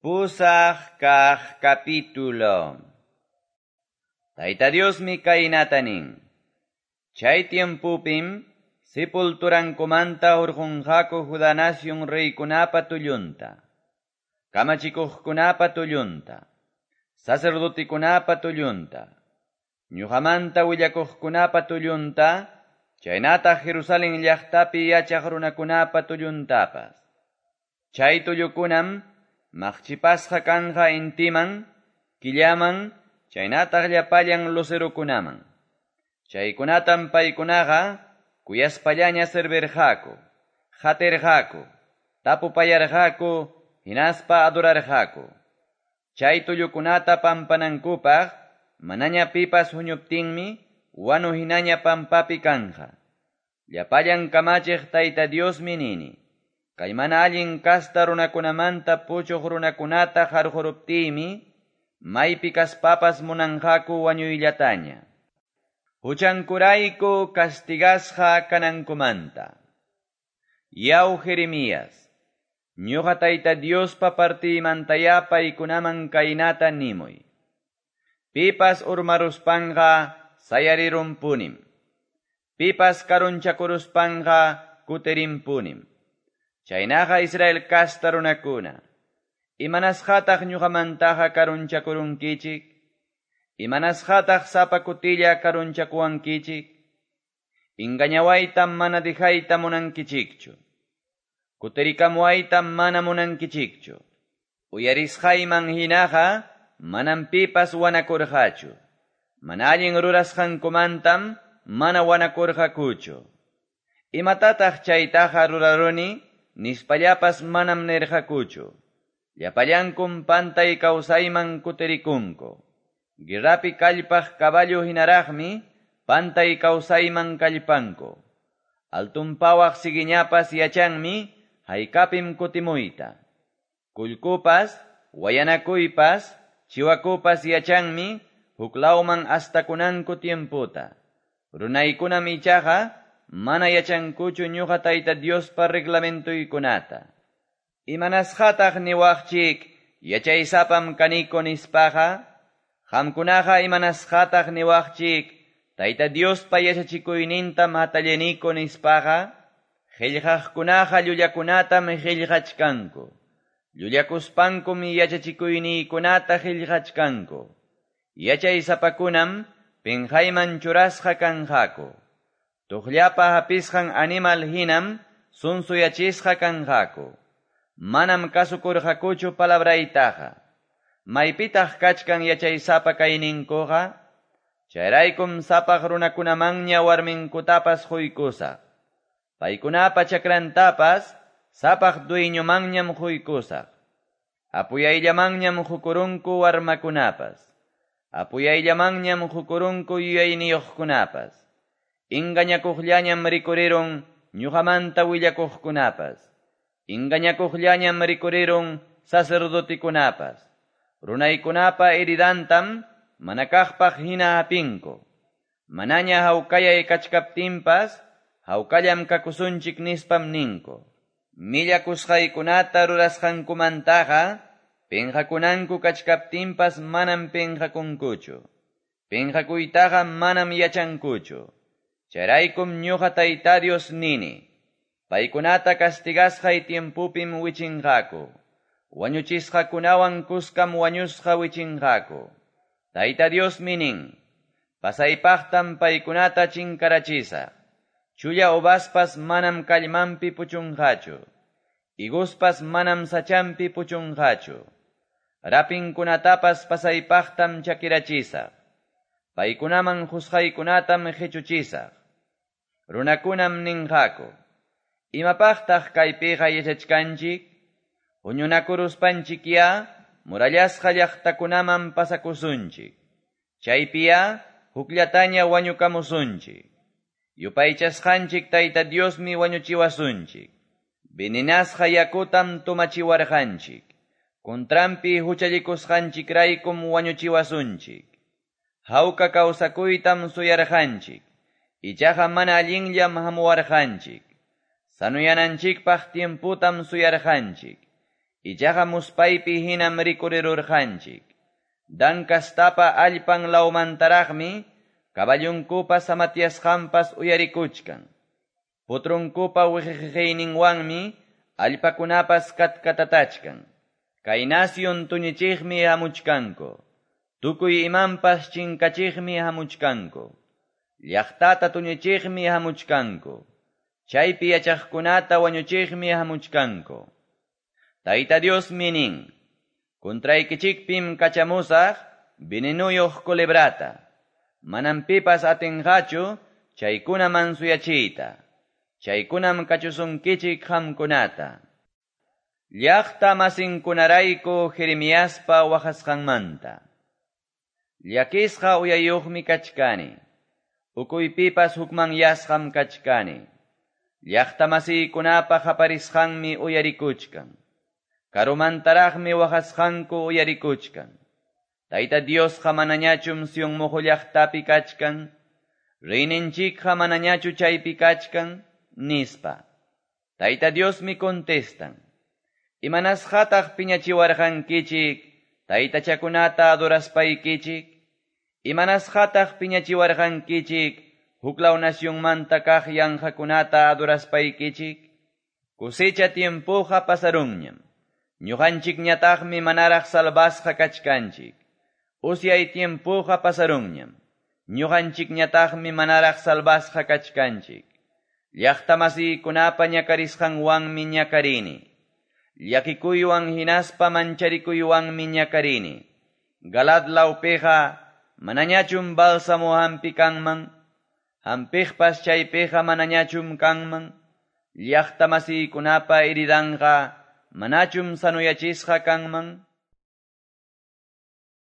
Pusaq kaq capítulo. Tayta Diosmi kaynata nin. Chay tiempopim sepulturankumanta hurqunqaku Judá nación reykunapa tullunta, kamachikuqkunapa tullunta, sacerdotekunapa tullunta, ñuqamanta willakuqkunapa tullunta, chaynataq Jerusalén llaqtapi yachaq runakunapa tulluntapas. Chay tullukunam maqchipasqa kanja intiman, killaman, chaynataq llapallan lucerokunaman. Chaykunatam paykunaqa kuyaspallaña servirqaku, qatirqaku, tapupayarqaku, hinaspa adorarqaku. Chay tullukunata pampanankupaq manaña pipas huñuptinmi wanu hinaña pampapi kanja. Llapallan kamachiq Tayta Diosmi nini. Kay mana allin kasta runakunamanta puchuq runakunata qarquruptiymi, maypi kaspapas munanqaku wañuyllataña. Huchankurayku castigasqa kanankumanta. Yaw Jeremías, ñuqa Tayta Diospa partiymantaya paykunaman kaynata nimuy. Pipas urmaruspanqa sayarirunpunim. Pipas karunchakuruspanqa kutirinpunim. Chaynaqa Israel kasta runakuna, imanasqataq ñuqamantaqa karunchakurunkichik? Imanasqataq sapa kutilla karunchakuwankichik? Engañawaytam mana dejayta munankichikchu. Kutirikamuwaytam mana munankichikchu. Uyarisqayman hinaqa manam pipas wanakurqachu. Mana allin rurasqankumantam mana wanakurqakuchu. Imatataq chaytaqa ruraruni? Nispallapas manam nirqakuchu. Llapallankum pantay kawsayman kutirikunku. Guerrapi kallpaq caballo hinaraqmi pantay kawsayman kallpanku. Altunpawaq siguiñapas yachanmi haykapim kutimuyta. Kullkupas, wayanakuypas, chiwakupas yachanmi huklawman astakunanku tiemputa. Runaykunam ichaqa mana yachankuchu ñuqa Tayta Diospa reglamentoykunata. Imanasqataq niwaqchik yachaysapam kaniko nispaqa? Qamkunaqa imanasqataq niwaqchik Tayta Diospa yachachikuynintam hatalleniko nispaqa? Qillqaqkunaqa llullakunatam qillqachkanku. Llullakuspankum yachachikuyniykunata qillqachkanku. Yachaysapakunam pinqayman churasqa kanqaku. Tuqllapa hapisqan animal hinam sunsuyachisqa kanqaku. Manam kasukurqakuchu palabraytaqa. Maypitaq kachkan yachaysapa kayninkuqa? Chayraykum sapaq runakunamanña warminkutapas quykusaq. Paykunapa chakrantapas sapaq dueñomanñam quykusaq. Apuyayllamanñam qukurunku warmakunapas. Apuyayllamanñam qukurunku yuyayniyuqkunapas. Engañakuqllañam rikurirun ñuqamanta willakuqkunapas. Engañakuqllañam rikurirun sacerdotikunapas. Runaykunapa heridantam manakaqpaq hina hapinku. Manaña hawkayay kachkaptinpas hawkallam kakusunchik nispam ninku. Millakusqaykunata rurasqankumantaqa pinqakunanku kachkaptinpas manam pinqakunkuchu. Pinqakuytaqa manam yachankuchu. Chayraykum ñuqa Tayta Dios nini. Paykunata castigasqay tiempupim wichinqaku. Wañuchisqakunawan kuskam wañusqa wichinqaku. Tayta Diosmi nin. Pasaypaqtam paykunata chinkarachisaq. Chulla uvaspas manam kallmanpi puchunqachu. Higospas manam sachampi puchunqachu. Rapinkunatapas pasaypaqtam chakirachisaq. Paykunaman qusqaykunatam qichuchisaq. Runakunam ninqaku. Imapaqtaq kaypiqa yachachkanchik? Huñunakuruspanchikya murallasqa llaqtakunaman pasakusunchik. Chaypiya hukllataña wañukamusunchik. Yupaychasqanchik Tayta Diosmi wañuchiwasunchik. Veninasqa yakutam tumachiwarqanchik. Contranpi huchallikusqanchikraykum wañuchiwasunchik. Hawka kawsakuytam suyarqanchik. Ichaqa mana allinllam hamuwarqanchik. Sanuyananchikpaq tiemputam suyarqanchik. Ichaqa muspaypi hinam rikurirurqanchik. Dan castapa allpan lawmantaraqmi caballonkupa samatyasqanpas uyarikuchkan. Potronkupa wiqiqiyninwanmi allpakunapas katkatatachkan. Kay nación tuñichiqmi hamuchkanku. Tukuy imanpas chinkachiqmi hamuchkanku. Llaqtata tuñichiqmi hamuchkanku. Chaypi yachaqkunata wañuchiqmi hamuchkanku. Tayta Diosmi nin, contraykichikpim kachamusaq venenuyuq culebrata. Manam pipas atinqachu chaykuna mansuyachiyta. Chaykunam kachusunkichik qamkunata. Llaqta masinkunarayku Jeremiaspa waqasqanmanta. Llakisqa uyayuqmi kachkani. Ukuypipas hukmanyasqam kachkani. Llaqta masiykunapa qaparisqanmi uyarikuchkan. Karumantaraqmi waqasqanku uyarikuchkan. Tayta Diosqa manañachum Sion muqu llaqtapi kachkan. Reyninchikqa manañachu chaypi kachkan, nispa. Tayta Diosmi contestan. Imanasqataq piñachiwarqankichik, taytachakunata adoraspaykichik? Imanasqataq piñachiwarqankichik, huklaw nacionmanta kaq yanqakunata adoraspaykichik? Cosecha tiempoqa pasarunñam. Ñuqanchikñataqmi manaraq salvasqa kachkanchik. Usyay tiempoqa pasarunñam. Ñuqanchikñataqmi manaraq salvasqa kachkanchik. Llaqta masiykunapa ñakarisqanwanmi ñakarini. Llakikuywan hinaspa mancharikuywanmi ñakarini. Galaad lawpiqa manañachum bálsamo hampi kanman. Hampiqpas chaypiqa manañachum kanman. Llaqta masiykunapa heridanqa manachum sanuyachisqa kanman.